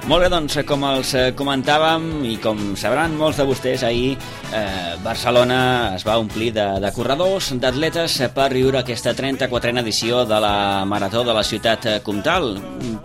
Molt bé, doncs, com els comentàvem i com sabran molts de vostès, ahir Barcelona es va omplir de corredors, d'atletes per viure aquesta 34a edició de la Marató de la Ciutat Comtal.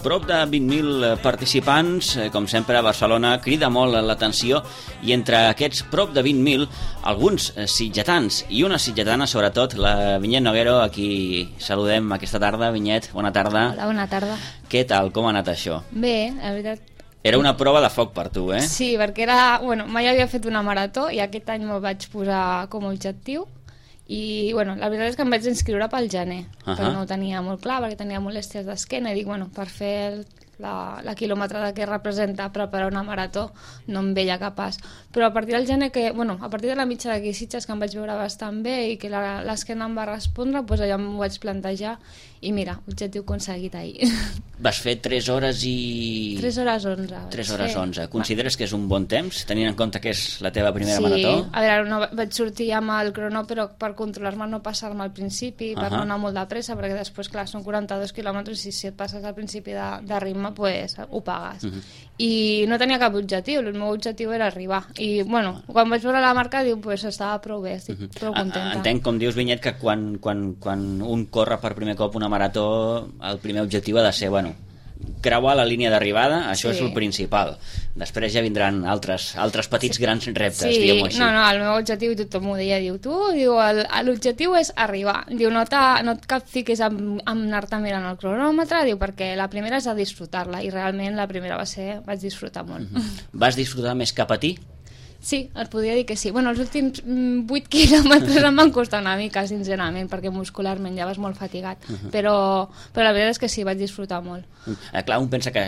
Prop de 20.000 participants, com sempre a Barcelona crida molt l'atenció, i entre aquests prop de 20.000, alguns sitgetans i una sitgetana, sobretot la Vinyet Noguero, a qui saludem aquesta tarda. Vinyet, bona tarda. Hola, bona tarda. Què tal? Com ha anat això? Bé, la veritat. Era una prova de foc per tu, eh? Sí, perquè era... Bueno, mai havia fet una marató i aquest any me'l vaig posar com a objectiu i, bueno, la veritat és que em vaig inscriure pel gener, però no ho tenia molt clar perquè tenia molèsties d'esquena i dic, bueno, per fer la quilometrada que representa preparar una marató no em veia capaç. Però a partir del gener, a partir de la mitja d'aquí Sitges, que em vaig veure bastant bé i que l'esquena em va respondre, doncs allà m'ho vaig plantejar i mira, objectiu aconseguit ahir. Vas fer 3 hores i... 3 hores 11. 3 hores 11. Consideres que és un bon temps, tenint en compte que és la teva primera marató? Sí, a veure, no, vaig sortir amb el crono, però per controlar-me no passar-me al principi, per no anar molt de pressa, perquè després, clar, són 42 quilòmetres i si et passes al principi de ritme, pues, ho pagues. I no tenia cap objectiu, el meu objectiu era arribar. I, bueno, quan vaig veure la marca, diu, pues, estava prou bé, estic prou contenta. Entenc, com dius, Vinyet, que quan un corre per primer cop una marató, el primer objectiu ha de ser, bueno, creuar la línia d'arribada, això és el principal. Després ja vindran altres petits grans reptes, diguem-ho així. No, el meu objectiu, tothom ho deia, diu, l'objectiu és arribar. Diu, no et capfiquis amb anar-te mirant el cronòmetre, diu, perquè la primera és a disfrutar-la, i realment la primera vaig disfrutar molt. Vas disfrutar més cap a ti? Sí, et podria dir que sí. Bueno, els últims 8 quilòmetres em van costar una mica, sincerament, perquè muscularment ja vas molt fatigat. Però la veritat és que sí, vaig disfrutar molt. Clar, un pensa que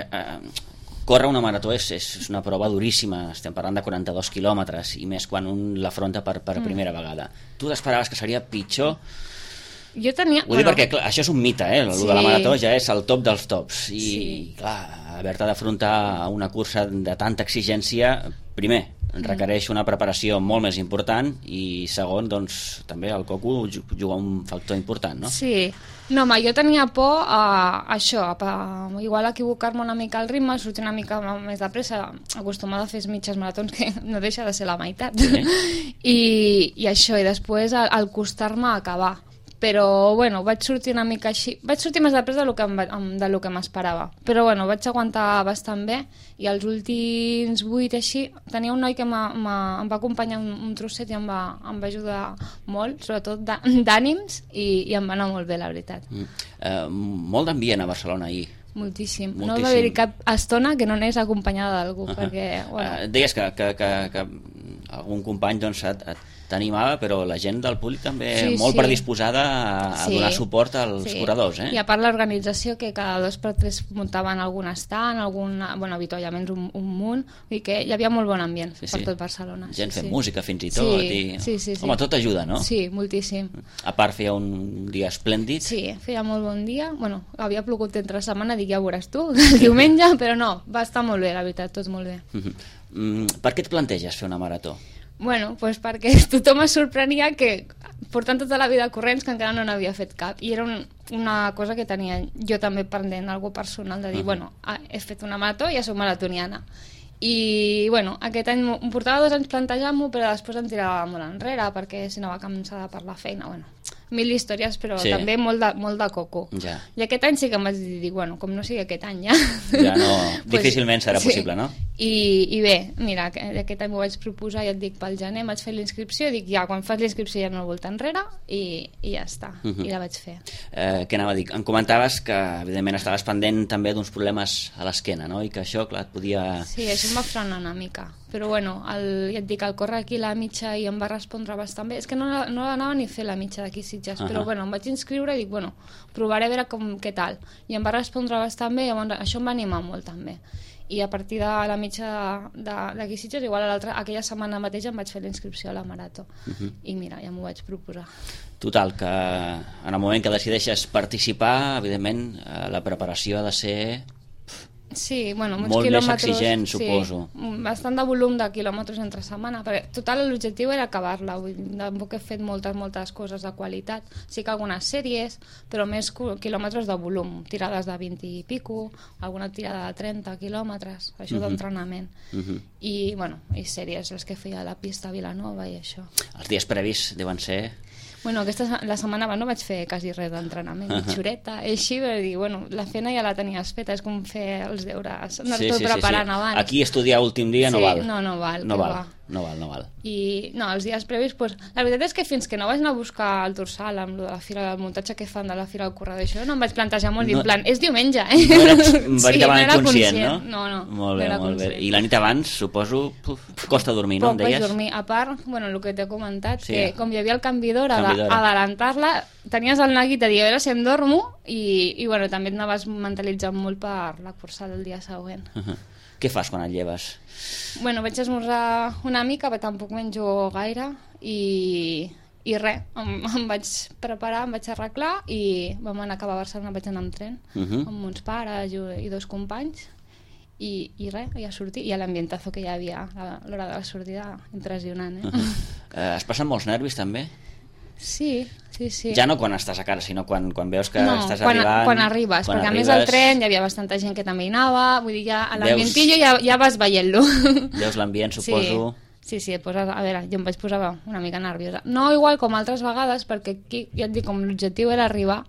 córrer una marató és una prova duríssima, estem parlant de 42 quilòmetres, i més quan un l'afronta per primera vegada. Tu t'esperaves que seria pitjor? Jo tenia... Ho dic perquè, clar, això és un mite, el de la marató ja és el top dels tops, i clar, haver-te d'afrontar a una cursa de tanta exigència, primer, requereix una preparació molt més important, i segon, doncs, també el coco juga un factor important, no? Sí. No, home, jo tenia por a això, igual equivocar-me una mica al ritme, sortir una mica més de pressa, acostumada a fer mitges maratons, que no deixa de ser la meitat. I això, i després al costar-me acabar. Però, bueno, vaig sortir una mica així. Vaig sortir més de pressa del que m'esperava. Però, bueno, vaig aguantar bastant bé, i els últims 8 així, tenia un noi que em va acompanyar un trosset i em va ajudar molt, sobretot d'ànims, i em va anar molt bé, la veritat. Molt d'ambient a Barcelona ahir. Moltíssim. No va haver-hi cap estona que no anés acompanyada d'algú, perquè... Deies que algun company t'animava, però la gent del públic també molt predisposada a donar suport als corredors, eh? I a part l'organització, que cada 2 per 3 muntaven algun stand, avituallaments un munt, i que hi havia molt bon ambient per tot Barcelona. Gent fent música fins i tot. Sí. Home, tot ajuda, no? Sí, moltíssim. A part feia un dia esplèndid. Sí, feia molt bon dia. Bueno, havia plogut entre setmana, dic, ja ho veuràs tu, diumenge, però no, va estar molt bé, la veritat, tot molt bé. Per què et planteges fer una marató? Bueno, doncs perquè tothom es sorprenia que portant tota la vida corrents que encara no n'havia fet cap, i era una cosa que tenia jo també pendent, algo personal, de dir, bueno, he fet una marató i ja soc maratoniana. I, bueno, aquest any em portava 2 anys plantejant-m'ho, però després em tirava molt enrere perquè si no va cansada per la feina, bueno, 1000 històries, però també molt de coco. I aquest any sí que em vaig dir, bueno, com no sigui aquest any ja... Ja no, difícilment serà possible, no? I bé, mira, aquest any m'ho vaig proposar, ja et dic, pel gener vaig fer l'inscripció, dic, ja, quan fas l'inscripció ja no volta enrere, i ja està, i la vaig fer. Què anava a dir? Em comentaves que, evidentment, estaves pendent també d'uns problemes a l'esquena, no? I que això, clar, et podia... Sí, això em va frenar una mica, però bueno, ja et dic, el córrer aquí la mitja i em va respondre bastant bé. És que no anava ni a fer la mitja d'aquí Sitges, però bueno, em vaig inscriure i dic, bueno, provaré a veure què tal. I em va respondre bastant bé, llavors això em va animar molt també. I a partir de la mitja d'aquí Sitges, igual aquella setmana mateix em vaig fer la inscripció a la marató. I mira, ja m'ho vaig proposar. Total, que en el moment que decideixes participar, evidentment, la preparació ha de ser Sí, bueno, uns molt quilòmetres... més exigent, suposo. Sí, bastant de volum de quilòmetres entre setmana, perquè total l'objectiu era acabar-la, tampoc he fet moltes coses de qualitat, sí que algunes sèries, però més quilòmetres de volum, tirades de 20 i pico, alguna tirada de 30 quilòmetres, això d'entrenament. I, bueno, i sèries, les que feia a la pista a Vilanova i això. Els dies previs deuen ser... Bueno, la setmana abans no vaig fer quasi res d'entrenament, xureta, i així vaig dir, bueno, la feina ja la tenies feta, és com fer els deures, anar-te preparant abans. Aquí estudiar últim dia no val. No val. No val. I no, els dies previs, pues, la veritat és que fins que no vaig anar a buscar el dorsal amb la fira del muntatge que fan de la fira del corredor, això no em vaig plantejar molt, en plan, és diumenge, No eres veritablement conscient, no? No. Molt bé. I la nit abans, suposo, costa dormir, no? Poc vaig dormir. A part, bueno, el que t'he comentat, que com hi havia el canvi d'hora, adelantar-la, tenies el neguit de dir, a veure si em dormo, i bueno, també et anaves mentalitzant molt per la cursa del dia següent. Què fas quan et lleves? Bueno, vaig esmorzar una mica, però tampoc menjo gaire, i res, em vaig preparar, em vaig arreglar i vam anar cap a Barcelona, vaig anar amb tren, amb uns pares i dos companys, i res, ja sortir, i l'ambientazo que hi havia a l'hora de la sortida, impressionant, Es passen molts nervis, també? Sí. Ja no quan estàs a casa, sinó quan veus que estàs arribant... quan arribes, perquè a més al tren hi havia bastanta gent que també hi anava, vull dir, ja a l'ambientillo ja vas veient-lo. Veus l'ambient, suposo... Sí, a veure, jo em vaig posar una mica nerviosa. No igual com altres vegades, perquè aquí, ja et dic, com l'objectiu era arribar,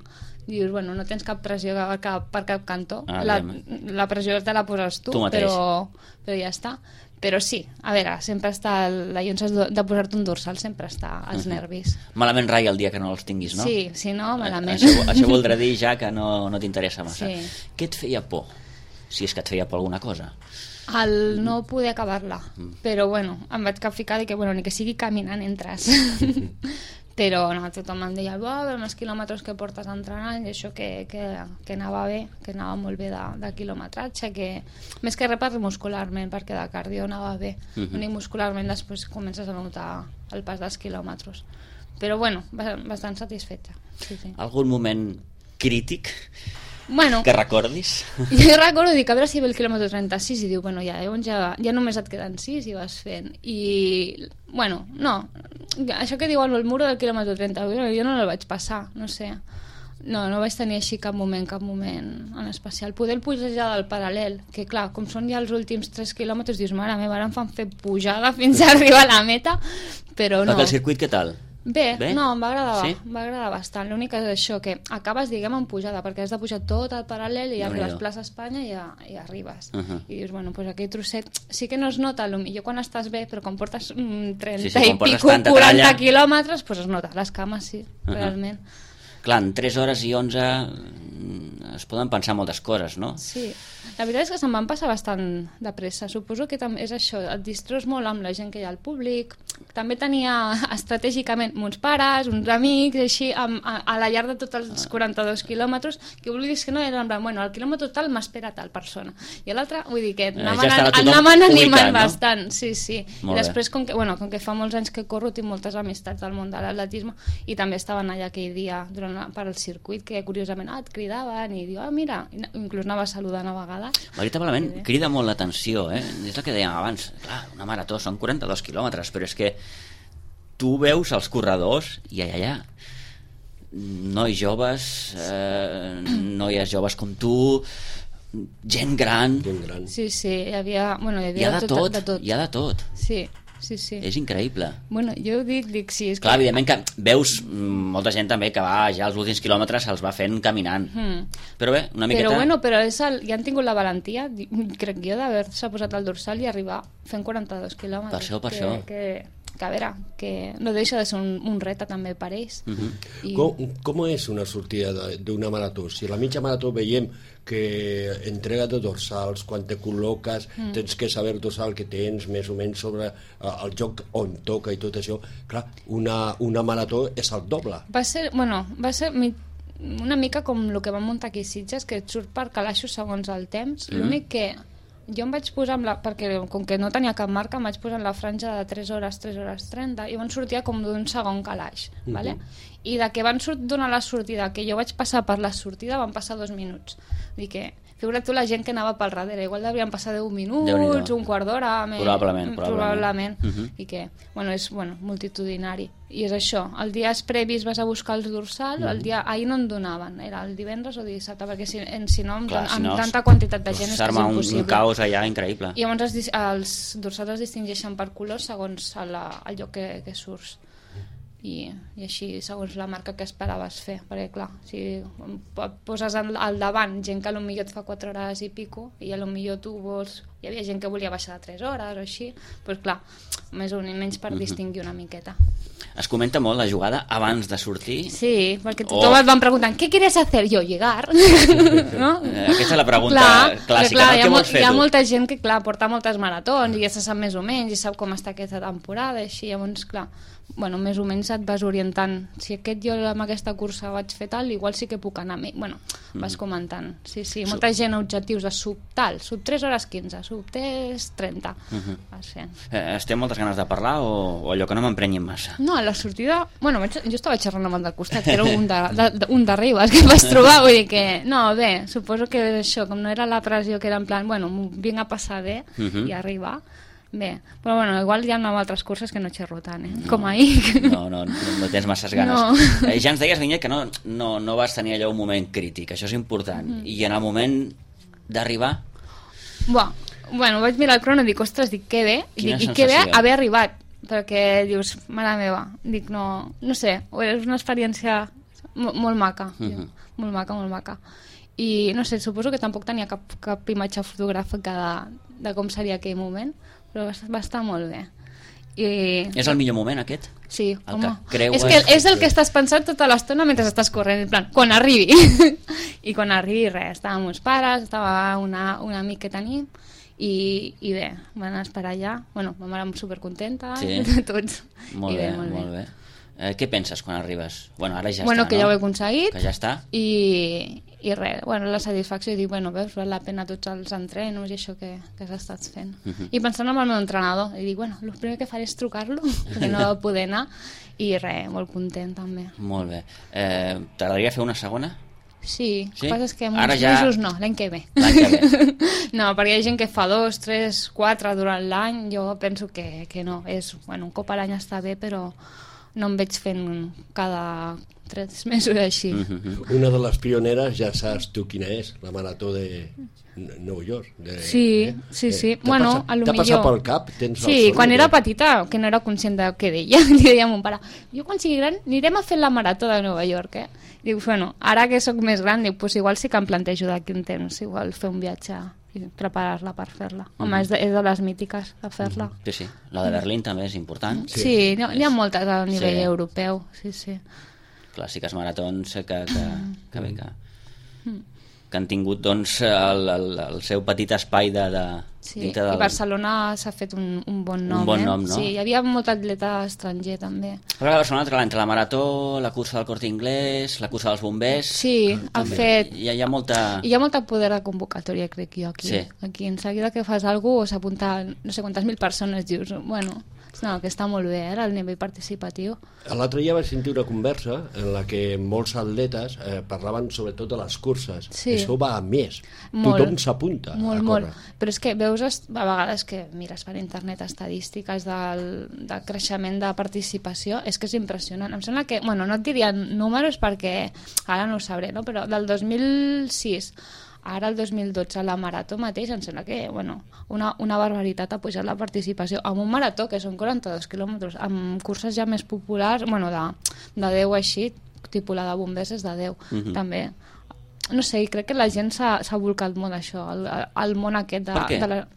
dius, bueno, no tens cap pressió per cap cantó, la pressió te la poses tu però ja està. Però sí, a veure, sempre està la llonça de posar-te un dorsal, sempre està als nervis. Malament rai el dia que no els tinguis, no? Sí, si no, malament. Això voldrà dir ja que no t'interessa massa. Sí. Què et feia por? Si és que et feia por alguna cosa. El no poder acabar-la. Però bueno, em vaig ficar que bueno, ni que sigui caminant entres. Però no, tothom em deia, els quilòmetres que portes entrenant, i això que anava bé, que anava molt bé de quilometratge, que més que res per muscularment, perquè de cardio anava bé. Ni muscularment després comences a notar el pas dels quilòmetres. Però bueno, bastant satisfeta. Sí. Algun moment crític que recordis? Jo recordo, dic, a veure si ve el quilòmetre 36 i diu, bueno, ja només et queden 6 i vas fent. I, bueno, no, això que diuen el muro del quilòmetre 30, jo no el vaig passar, no sé. No vaig tenir així cap moment en especial. Poder el pujar del paral·lel, que clar, com són ja els últims 3 quilòmetres, dius, mare meva, ara em fan fer pujada fins a arribar a la meta, però no. Perquè el circuit què tal? Bé, no, em va agradar bastant. L'únic és això, que acabes, diguem, en pujada, perquè has de pujar tot al paral·lel i ja arribes a Plaça Espanya i arribes. I dius, bueno, doncs aquell trosset sí que no es nota, potser quan estàs bé, però quan portes 30 i pico, 40 quilòmetres, doncs es nota, les cames sí, realment. Clar, en 3 hores i 11 es poden pensar moltes coses, no? Sí, la veritat és que se'm van passar bastant de pressa. Suposo que és això, et distreus molt amb la gent que hi ha al públic. També tenia estratègicament uns pares, uns amics, així, a la llarg de tots els 42 quilòmetres, que vulguis que no, era en plan, bueno, al quilòmetre total m'espera tal persona. I l'altre, vull dir que anaven animant bastant, sí. I després, com que fa molts anys que corro, tinc moltes amistats del món de l'atletisme, i també estaven allà aquell dia per al circuit, que curiosament et cridaven i diu, mira, inclús anava saludant a vegades. Veritablement, crida molt l'atenció, és el que dèiem abans, clar, una marató són 42 quilòmetres, però és que tu veus els corredors i allà nois joves, noies joves com tu, gent gran. Sí, hi havia de tot. Hi ha de tot. Sí. És increïble. Bueno, jo dic sí. Clar, evidentment que veus molta gent també que va ja els últims quilòmetres se'ls va fent caminant. Però bé, una miqueta... Però ja han tingut la valentia, crec jo, d'haver-se posat al dorsal i arribar fent 42 quilòmetres. Per això. Que a veure, que no deixa de ser un repte també per ells. Com és una sortida d'una marató? Si a la mitja marató veiem que entrega de dorsals, quan te col·loques tens que saber el dorsal que tens més o menys sobre el joc on toca i tot això, clar, una marató és el doble. Va ser una mica com el que vam muntar aquí a Sitges, que et surt per calaixos segons el temps. L'únic que jo em vaig posar perquè com que no tenia cap marca em vaig posar en la franja de 3 hores 30 i van sortir com d'un segon calaix, vale? I de que van donar la sortida, que jo vaig passar per la sortida, van passar 2 minuts. Vull dir que figura't tu la gent que anava pel darrere, igual devien passar 10 minuts, un quart d'hora, probablement. I que, és multitudinari. I és això, el dia previs vas a buscar els dorsals, el dia ahir no en donaven, era el divendres o dissabte, perquè si no, amb tanta quantitat de gent és que és impossible. Un caos allà increïble. I llavors els dorsals es distingeixen per colors segons el lloc que surts. I així segons la marca que esperaves fer, perquè clar, si poses al davant gent que potser et fa 4 hores i pico i potser tu vols, hi havia gent que volia baixar de 3 hores o així, doncs clar, més o menys per distingir una miqueta. Es comenta molt la jugada abans de sortir? Sí, perquè tothom et van preguntant ¿qué quieres hacer? Jo, llegar. No? Aquesta és la pregunta clàssica, no? Què vols fer tu? Hi ha molta gent que porta moltes maratons i ja se sap més o menys i sap com està aquesta temporada i així, llavors clar, més o menys et vas orientant, si jo amb aquesta cursa vaig fer tal, igual sí que puc anar vas comentant, sí, molta gent objectius de sub 3 hores 15, sub 3 30 vas fent. Es té moltes ganes de parlar o allò que no m'emprenyin massa? No, a la sortida, jo estava xerrant amb el del costat, que era un d'arriba que em vaig trobar, vull dir que no, bé, suposo que això, com no era la pressió que era en plan, vinc a passar bé i arribar. Bé, però igual hi ha altres curses que no xerro tant, com ahir. No tens masses ganes. No. Ja ens deies, Vinyet, que no vas tenir allò un moment crític, això és important. I en el moment d'arribar? Vaig mirar el crono i dic, ostres, que bé, i que bé haver arribat, perquè dius, mare meva, dic, no sé, és una experiència molt maca, molt maca. I no sé, suposo que tampoc tenia cap imatge fotogràfica de com seria aquell moment, però va estar molt bé. És el millor moment aquest? Sí, home. És que és el que estàs pensant tota l'estona mentre estàs corrent, en plan, quan arribi. I quan arribi res, estàvem uns pares, estava una amic que tenim i bé, van esperar allà. Vam anar supercontenta, tots. Molt bé. Què penses quan arribes? Ara ja està, que ja ho he aconseguit. Que ja està. I res, la satisfacció i dir, veus, val la pena tots els entrenos i això que has estat fent. I pensant en el meu entrenador, i dic, el primer que faré és trucar-lo, perquè no va poder anar, i res, molt content també. Molt bé. T'agradaria fer una segona? Sí, el que passa és que en uns mesos no, l'any que ve. No, perquè hi ha gent que fa 2, 3, 4 durant l'any, jo penso que no, un cop a l'any està bé, però no em veig fent cada 3 mesos així. Una de les pioneres, ja saps tu quina és, la marató de Nova York. Sí. T'ha passat pel cap? Sí, quan era petita, que no era conscient de què deia, li deia a mon pare, jo quan sigui gran anirem a fer la marató de Nova York, Diu, ara que sóc més gran, diu, igual sí que em plantejo d'aquí un temps, igual fer un viatge i preparar-la per fer-la. Home, és de les mítiques de fer-la. Sí, la de Berlín també és important. Sí, n'hi ha moltes a nivell europeu, sí. Clàssiques maratons que han tingut el seu petit espai Sí, i Barcelona s'ha fet un bon nom. Un bon nom, no? Sí, hi havia molt atleta estranger també. Però a Barcelona, entre la marató, la cursa del Corte Inglés, la cursa dels bombers... Sí, ha fet... Hi ha molta... Hi ha molta poder de convocatòria, crec jo, aquí. Sí. Aquí, en seguida que fas alguna cosa, s'apunta no sé quantes mil persones, dius, no, que està molt bé, el nivell participatiu. L'altre dia vaig sentir una conversa en la que molts atletes parlaven sobretot de les curses. Sí. Això va a més. Molt. Tothom s'apunta a córrer. Molt. Però és que veus a vegades que mires per internet estadístiques del creixement de participació, és que és impressionant. Em sembla que, no et diria números perquè ara no ho sabré, no? Però del 2006 ara el 2012 la marató mateix em sembla que una barbaritat ha pujat la participació amb un marató que són 42 quilòmetres amb curses ja més populars de 10 així, tipus la de bombers és de 10 també. No sé, crec que la gent s'ha volcat molt això, el món aquest per què?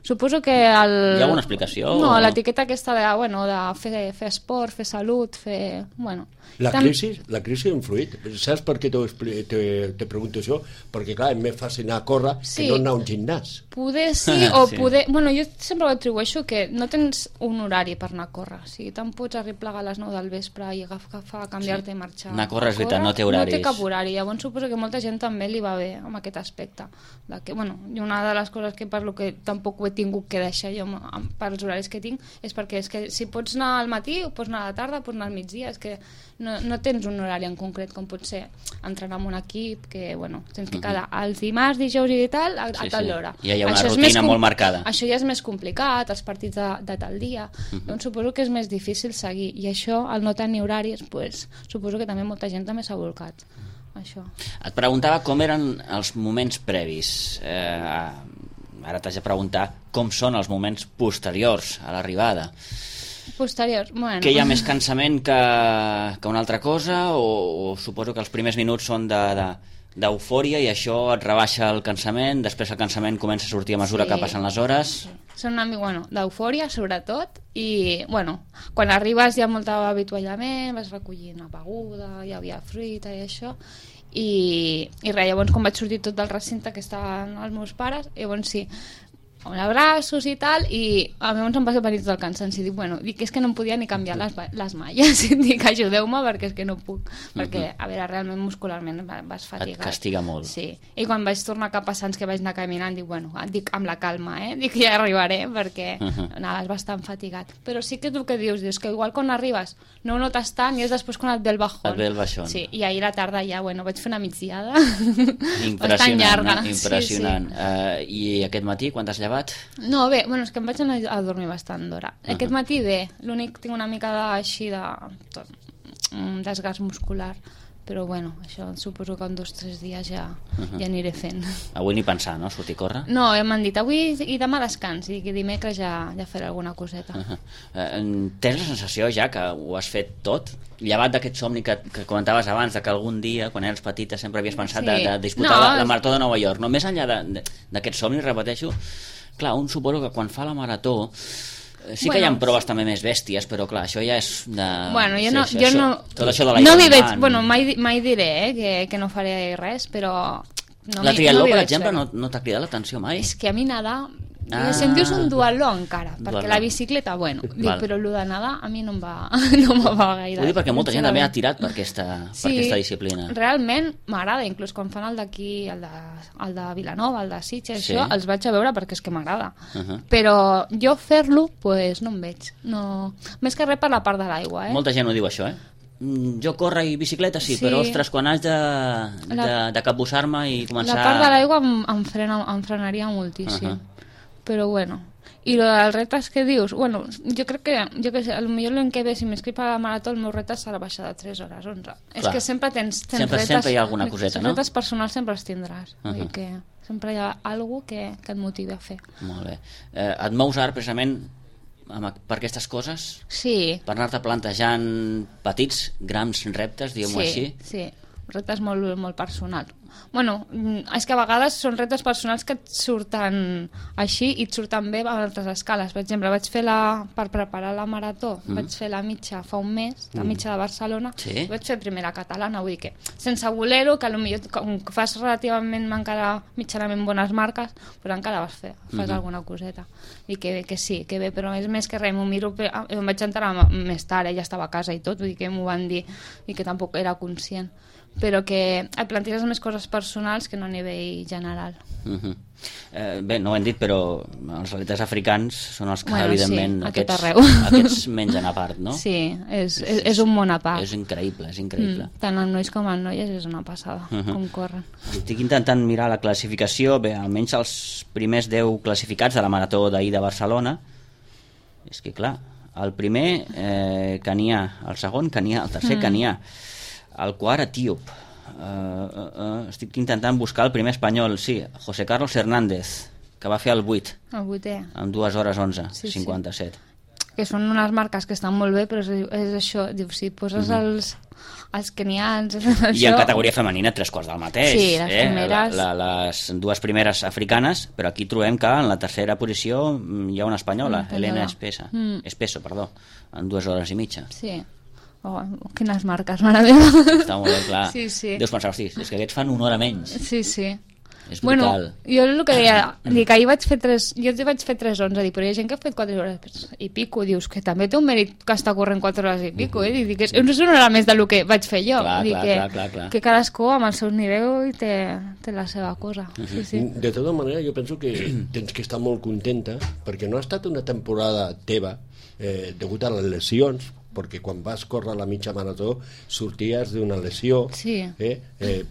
Suposo que Hi ha alguna explicació? No, l'etiqueta aquesta de fer esport, fer salut, fer... La crisi ha influït. Saps per què te pregunto això? Perquè, clar, és més fàcil anar a córrer que no anar a un gimnàs. Poder sí, o poder... jo sempre ho atribueixo que no tens un horari per anar a córrer. O sigui, te'n pots arreplegar a les 9 del vespre i agafar, canviar-te i marxar. Anar a córrer, és veritat, no té horaris. No té cap horari. Llavors suposo que molta gent també li va bé amb aquest aspecte. I una de les coses que parlo que tampoc ho veig tingut que deixar jo pels horaris que tinc, és perquè és que si pots anar al matí, o pots anar a la tarda, pots anar al migdia, és que no tens un horari en concret, com pot ser entrenar amb un equip, que bueno, tens que quedar els dimarts, dijous i tal, a tal hora. Ja hi ha una rutina molt marcada. Això ja és més complicat, els partits de tal dia, doncs suposo que és més difícil seguir, i això, al no tenir horaris, pues, suposo que també molta gent també s'ha volcat. Això. Et preguntava com eren els moments previs. Ara t'haig de preguntar com són els moments posteriors a l'arribada. Posteriors, bueno. Que hi ha més cansament que una altra cosa, o suposo que els primers minuts són d'eufòria i això et rebaixa el cansament, després el cansament comença a sortir a mesura que passen les hores? Sí. Són una mica, d'eufòria sobretot, i quan arribes hi ha molt avituallament, vas recollint una beguda, hi havia fruita i això, i res, llavors quan vaig sortir tot del recinte que estaven els meus pares, llavors sí, amb abraços i tal, i a mi em va venir tot el cansanci, dic, és que no em podia ni canviar les malles, dic, ajudeu-me perquè és que no puc, perquè, a veure, realment muscularment vas fatigat. Et castiga molt. Sí, i quan vaig tornar cap a Sants, que vaig anar caminant, dic, amb la calma, dic, ja arribaré, perquè anaves bastant fatigat, però sí que tu que dius que igual quan arribes no ho notes tant i és després quan et ve el bajón. Et ve el bajón. Sí, i ahir a la tarda ja, vaig fer una migdiada bastant llarga. Impressionant. Sí. I aquest matí, quan t'has llevat? No, bé, és que em vaig anar a dormir bastant d'hora. Aquest matí bé, l'únic tinc una mica així de desgast muscular, però això suposo que en 2 o 3 dies ja aniré fent. Avui ni pensar, no? Sortir a córrer? No, m'han dit avui i demà descans, i dimecres ja faré alguna coseta. Tens la sensació ja que ho has fet tot? Llevat d'aquest somni que comentaves abans, que algun dia, quan eres petita, sempre havies pensat de disputar la Marató de Nova York, no? Més enllà d'aquest somni, repeteixo, clar, un suposo que quan fa la Marató sí que hi ha proves també més bèsties, però clar, això ja és de... tot això de l'Ironman... mai diré que no faré res, però... La triatló, per exemple, no t'ha cridat l'atenció mai? És que a mi nedar... Si em dius un duatló encara, perquè la bicicleta, però el de nedar a mi no em va gaire. Vull dir perquè molta gent també ha tirat per aquesta disciplina. Realment m'agrada, inclús quan fan el d'aquí, el de Vilanova, el de Sitges, això, els vaig a veure perquè és que m'agrada. Però jo fer-lo, no em veig. Més que res per la part de l'aigua. Molta gent ho diu això, jo corre i bicicleta sí, però ostres, quan haig de capbussar-me i començar... La part de l'aigua em frenaria moltíssim. Però i els reptes que dius, jo crec que potser l'any que ve, si m'inscric a la marató, el meu repte serà baixar de 3 hores 11. És que sempre tens reptes, sempre hi ha alguna coseta, no? Els reptes personals sempre els tindràs, que sempre hi ha alguna cosa que et motivi a fer. Molt bé. Et mous ara precisament per aquestes coses? Sí. Per anar-te plantejant petits, grans reptes, diguem-ho així? Sí, reptes molt personals. És que a vegades són reptes personals que et surten així i et surten bé a altres escales. Per exemple, per preparar la marató, vaig fer la mitja fa un mes, la mitja de Barcelona, i vaig fer primera catalana, vull dir que sense voler-ho, que potser com fas relativament encara mitjanament bones marques, però encara fas alguna coseta. I que sí, que bé, però és més que res, m'ho miro, em vaig enterar més tard, ja estava a casa i tot, vull dir que m'ho van dir i que tampoc era conscient, però que et planteges més coses personals que no a nivell general. Bé, no ho hem dit, però els atletes africans són els que, evidentment, aquests mengen a part, no? Sí, és un món a part. És increïble, és increïble. Tant els nois com els noies és una passada, com corren. Estic intentant mirar la classificació, bé, almenys els primers 10 classificats de la marató d'ahir de Barcelona. És que, clar, el primer, Kenià, el segon, Kenià, el tercer, Kenià, el quart, etíop. Estic intentant buscar el primer espanyol, sí, José Carlos Hernández, que va fer el 8. El 8è. En 2 hores 11, 57. Que són unes marques que estan molt bé, però és això, dius, si poses els kenians... I en categoria femenina 3/4 del mateix. Sí, les primeres... Les 2 primeres africanes, però aquí trobem que en la tercera posició hi ha una espanyola, Elena Espeso, en 2 hores i mitja. Sí. Quines marques, mare meva. Està molt bé, clar. Sí. Deus pensar, hosti, és que aquests fan 1 hora menys. Sí. És brutal. Jo el que deia, dic, ahir vaig fer 3:11, dic, però hi ha gent que ha fet 4 hores i pico, dius que també té un mèrit que està corrent 4 hores i pico, dic, és una hora més del que vaig fer jo. Clar. Que cadascú amb el seu nivell té la seva cosa. Sí. De tota manera, jo penso que tens que estar molt contenta, perquè no ha estat una temporada teva degut a les lesions, perquè quan vas córrer la mitja marató sorties d'una lesió,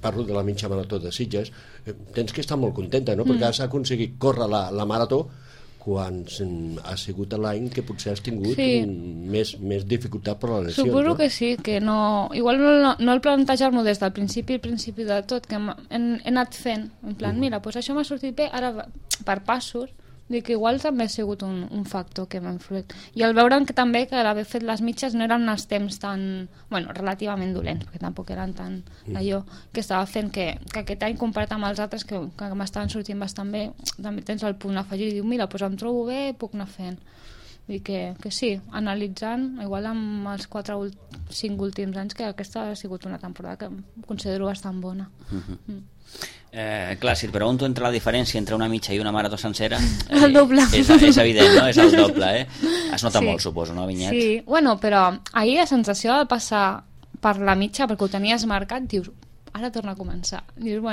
parlo de la mitja marató de Sitges, tens que estar molt contenta, no? Perquè has aconseguit córrer la marató quan ha sigut l'any que potser has tingut més dificultat per la lesió. Suposo que sí, que no... Igual no el plantejar-m'ho des del principi de tot, que he anat fent, en plan, mira, doncs això m'ha sortit bé, ara per passos, dic que igual també ha sigut un factor que m'ha influït. I al veure que també que l'haver fet les mitges no eren els temps tan, relativament dolents, perquè tampoc eren tan allò que estava fent, que aquest any comparat amb els altres que m'estaven sortint bastant bé, també tens el punt afegit i diu, mira, doncs em trobo bé, puc anar fent. I que sí, analitzant, igual amb els 4-5 últims anys, que aquesta ha sigut una temporada que considero bastant bona. Clar, si et pregunto entre la diferència entre una mitja i una marató sencera, el doble. És evident, no? És el doble, Es nota molt, suposo, no, Vinyet? Sí, però ahir la sensació de passar per la mitja, perquè ho tenies marcat, dius, ara torna a començar. Dius,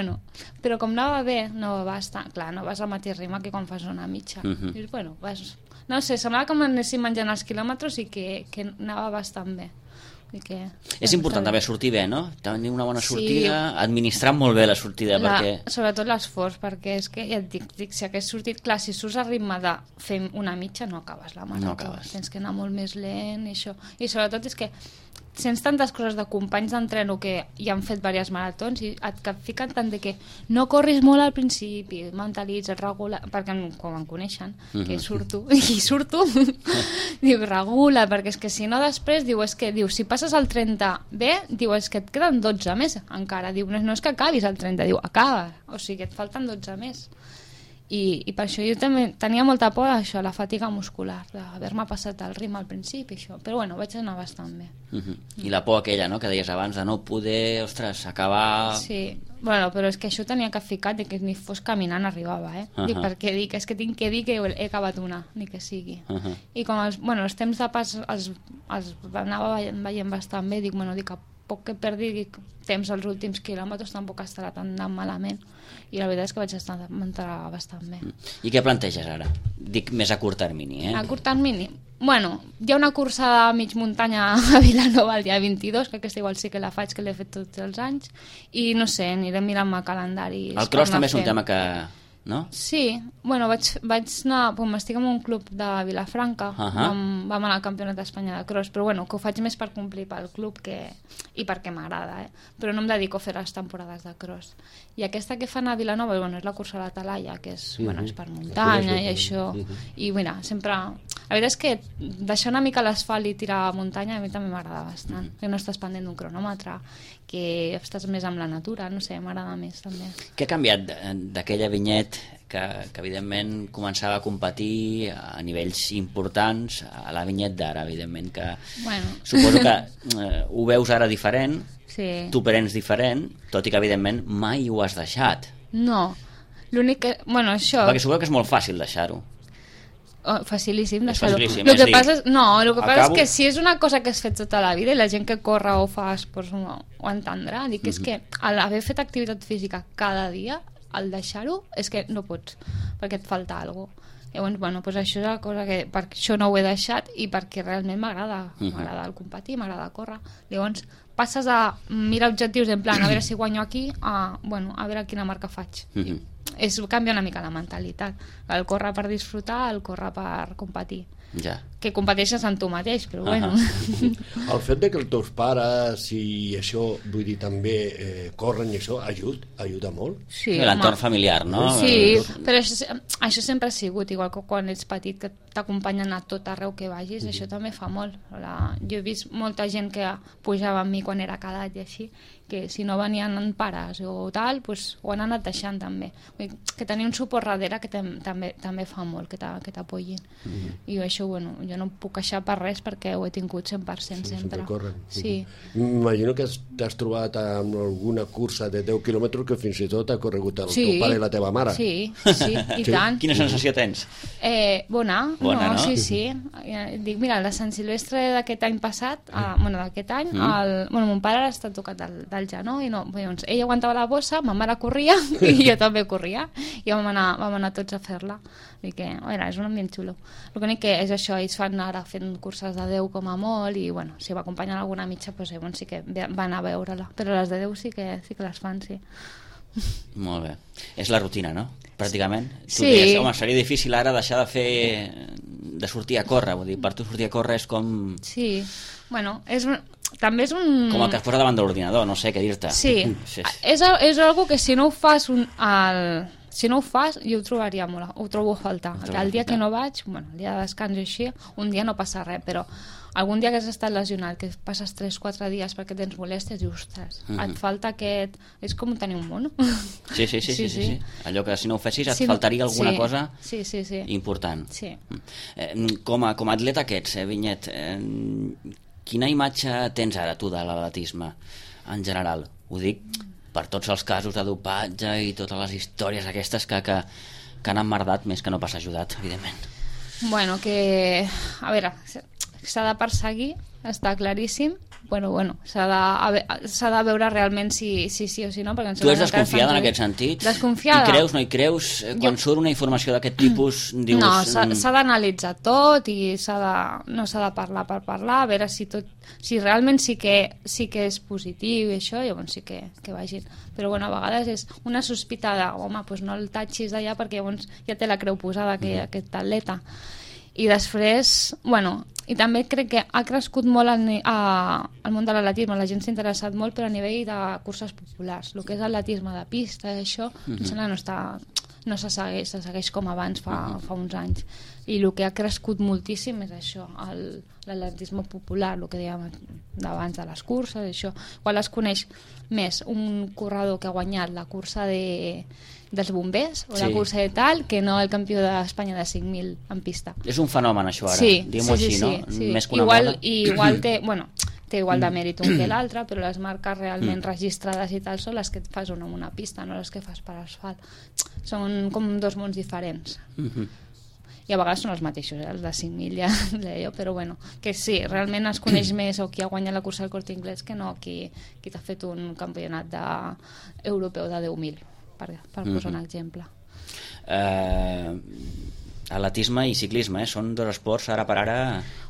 però com anava bé, no va estar... Clar, no vas al mateix ritme que quan fas una mitja. Dius, vas... No sé, semblava que m'anessin menjant els quilòmetres i que anava bastant bé. És important també sortir bé, no? Tenir una bona sortida, administrar molt bé la sortida, perquè... Sobretot l'esforç, perquè és que, ja et dic, si hagués sortit, clar, si surts a ritme de fer una mitja, no acabes la marató. No acabes. Tens que anar molt més lent i això. I sobretot és que sents tantes coses de companys d'entreno que ja han fet diverses maratons i et fiquen tant de que no corris molt al principi, mentalitza, regula, perquè quan em coneixen, que surto, diu, regula, perquè és que si no després, diu, si passes al 30 bé, diu, és que et queden 12 més encara, diu, no és que acabis al 30, diu, acaba, o sigui, et falten 12 més. I per això jo també tenia molta por d'això, la fatiga muscular, d'haver-me passat el ritme al principi, això. Però vaig anar bastant bé. I la por aquella, no?, que deies abans, de no poder, acabar... Sí, però és que això tenia que ficar de que ni fos caminant arribava, Dic, perquè és que tinc que dir que he acabat una, ni que sigui. I com els temps de pas els anava veient bastant bé, dic, a poc que perdi temps als últims quilòmetres tampoc estarà tan malament. I la veritat és que vaig estar bastant bé. I què planteges ara? Dic més a curt termini, A curt termini? Hi ha una cursa de mig muntanya a Vilanova el dia 22, que aquesta igual sí que la faig, que l'he fet tots els anys, i no sé, aniré mirant-me calendaris. El cross també és un tema que... no? Sí, vaig anar, estic en un club de Vilafranca, vam anar al Campionat d'Espanya de cross, però que ho faig més per complir pel club i perquè m'agrada, però no em dedico a fer les temporades de cross. I aquesta que fan a Vilanova, és la cursa de la Talaia, que és per muntanya i això, i sempre... La veritat és que deixar una mica l'asfalt i tirar a muntanya a mi també m'agrada bastant, que no estàs pendent d'un cronòmetre, que estàs més amb la natura, no sé, m'agrada més també. Què ha canviat d'aquella Vinyet que evidentment començava a competir a nivells importants a la Vinyet d'ara, evidentment, que suposo que ho veus ara diferent, tu prens diferent, tot i que evidentment mai ho has deixat. No, l'únic que... això... Perquè suposo que és molt fàcil deixar-ho. Facilíssim deixar-ho. El que passa és que si és una cosa que has fet tota la vida i la gent que corre o fa esports ho entendrà, dic, és que l'haver fet activitat física cada dia, al deixar-ho, és que no pots, perquè et falta alguna cosa. Llavors, això és la cosa que per això no ho he deixat i perquè realment m'agrada el competir, m'agrada córrer. Llavors passes a mirar objectius en plan, a veure si guanyo aquí, a veure quina marca faig. Canvia una mica la mentalitat. El córrer per disfrutar, el córrer per competir. Que competeixes amb tu mateix, però El fet de que els teus pares i això, vull dir, també corren i això, ajuda molt. Sí, l'entorn familiar, no? Sí, però això sempre ha sigut, igual que quan ets petit, que t'acompanyen a tot arreu que vagis, això també fa molt. Jo he vist molta gent que pujava amb mi quan era cadet i així, que si no venien pares o tal, pues, ho han anat deixant també. Vull dir, que tenir un suport darrere que també fa molt, que t'apoyin. I això, bueno, jo no em puc queixar per res perquè ho he tingut 100% sempre. Sí. M'imagino que t'has trobat amb alguna cursa de 10 quilòmetres que fins i tot ha corregut el teu pare i la teva mare. Sí, i tant. Quina sensació tens? Bona, no? Sí. Dic, mira, la Sant Silvestre d'aquest any passat, d'aquest any, mon pare està tocat del genoll, i no, doncs ell aguantava la bossa, ma mare corria i jo també corria, i vam anar tots a fer-la. Vull dir que, és un ambient xulo. El únic que és això, ells fan ara fent curses de 10 com a molt, i bueno, si va acompanyar alguna mitja, doncs sí que va anar a veure-la, però les de 10 sí que les fan, sí. Molt bé. És la rutina, no? Pràcticament. Tu Sí. deies, home, seria difícil ara deixar de sortir a córrer, vull dir, per tu sortir a córrer és com... Sí, bueno, també és un... Com el que es posa davant de l'ordinador, no sé què dir-te. Sí. És algo que si no ho fas si no ho fas, jo ho trobaria molt, ho trobo a faltar. El dia que no vaig, el dia de descans i així, un dia no passa res, però algun dia que has estat lesionat, que passes 3-4 dies perquè tens molèsties, dius, ostres, et falta aquest... És com tenir un mono. Sí. Allò que si no ho fessis et faltaria alguna cosa important. Sí. Com a atleta que ets, Vinyet, quina imatge tens ara tu de l'atletisme en general? Ho dic per tots els casos de dopatge i totes les històries aquestes que han emmerdat més que no pas ajudat, evidentment. Bueno, que... A veure, s'ha de perseguir, està claríssim. Bueno, s'ha de veure realment si sí o si no. Tu ets desconfiada en aquest sentit? Desconfiada. Hi creus, no hi creus? Quan surt una informació d'aquest tipus, dius... No, s'ha d'analitzar tot i no s'ha de parlar per parlar, a veure si realment sí que és positiu i això, llavors sí que vagin. Però bueno, a vegades és una sospita de, home, doncs no el tatxis d'allà perquè llavors ja té la creu posada aquest atleta. I després, bueno, i també crec que ha crescut molt el món de l'atletisme, la gent s'ha interessat molt, però a nivell de curses populars, el que és atletisme de pista, això, em sembla no se segueix com abans fa uns anys. I el que ha crescut moltíssim és això, l'atletisme popular, el que dèiem abans de les curses, això. Quan es coneix més un corredor que ha guanyat la cursa dels bombers o la cursa de tal, que no el campió d'Espanya de 5.000 en pista. És un fenomen això ara, diguem-ho així, no? Més que una moda. Igual té igual de mèrit un que l'altre, però les marques realment registrades i tal són les que et fas una en una pista, no les que fas per asfalt. Són com dos mons diferents. I a vegades són els mateixos, els de 5.000 ja deia, però bueno, que sí, realment es coneix més o qui ha guanyat la cursa del Corte Inglés que no qui t'ha fet un campionat europeu de 10.000, per posar un exemple. Atletisme i ciclisme, són dos esports ara per ara...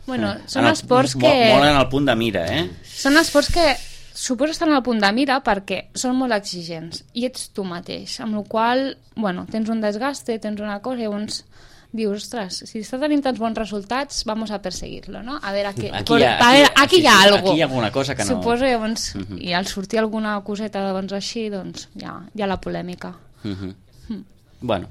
Bueno, són esports que... Molt en el punt de mira, Són esports que suposo estan al punt de mira perquè són molt exigents i ets tu mateix, amb la qual bueno, tens un desgaste, tens una cosa i llavors dius, ostres, si està tenint tants bons resultats, vamos a perseguirlo, no? A veure, aquí hi ha algo. Aquí hi ha alguna cosa que no... Suposo, llavors, i al sortir alguna coseta doncs, així, doncs hi ha la polèmica. Bueno,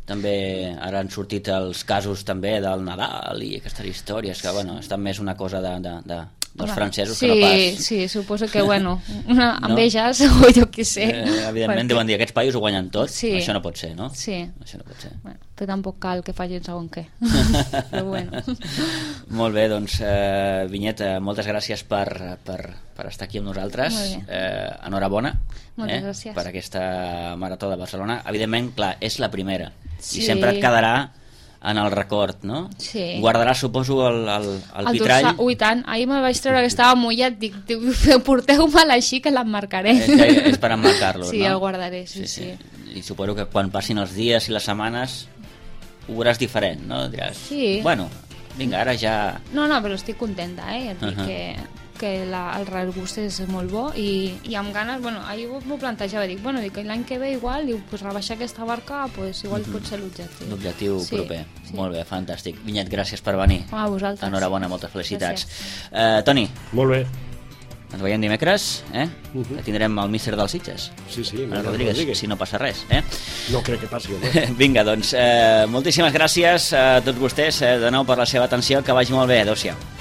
també ara han sortit els casos també del Nadal i aquestes històries que, bueno, estan més una cosa dels francesos que no pas... Sí, suposo que, bueno, enveges o jo què sé. Evidentment deuen dir, aquests paios ho guanyen tot, això no pot ser, no? Sí. Això no pot ser. Bueno, però tampoc cal que facin segon què. Però bueno. Molt bé, doncs, Vinyet, moltes gràcies per estar aquí amb nosaltres. Enhorabona per aquesta Marató de Barcelona. Evidentment, clar, és la primera i sempre et quedarà en el record, no? Sí. Guardaràs, suposo, el vitrall. Ui, tant. Ahir me'l vaig treure que estava mullat. Dic, porteu-me'l així que l'emmarcaré. És per emmarcar-lo, sí, no? El guardaré, sí. I suposo que quan passin els dies i les setmanes ho veuràs diferent, no? Diràs, bueno, vinga, ara ja... No, però estic contenta, Et dic que el regust és molt bo i amb ganes, bueno, ahir m'ho plantejava, dic l'any que ve igual, pues rebaixar aquesta barca, pues igual pot ser l'objectiu. L'objectiu proper. Molt bé, fantàstic. Vinyet, gràcies per venir. A vosaltres. Enhorabona, moltes felicitats. Toni. Molt bé. Ens veiem dimecres, que tindrem el míster dels Sitges. Sí, Rodríguez, si no passa res. No crec que passi, no? Vinga, doncs, moltíssimes gràcies a tots vostès de nou per la seva atenció, que vagi molt bé, adéu-siau.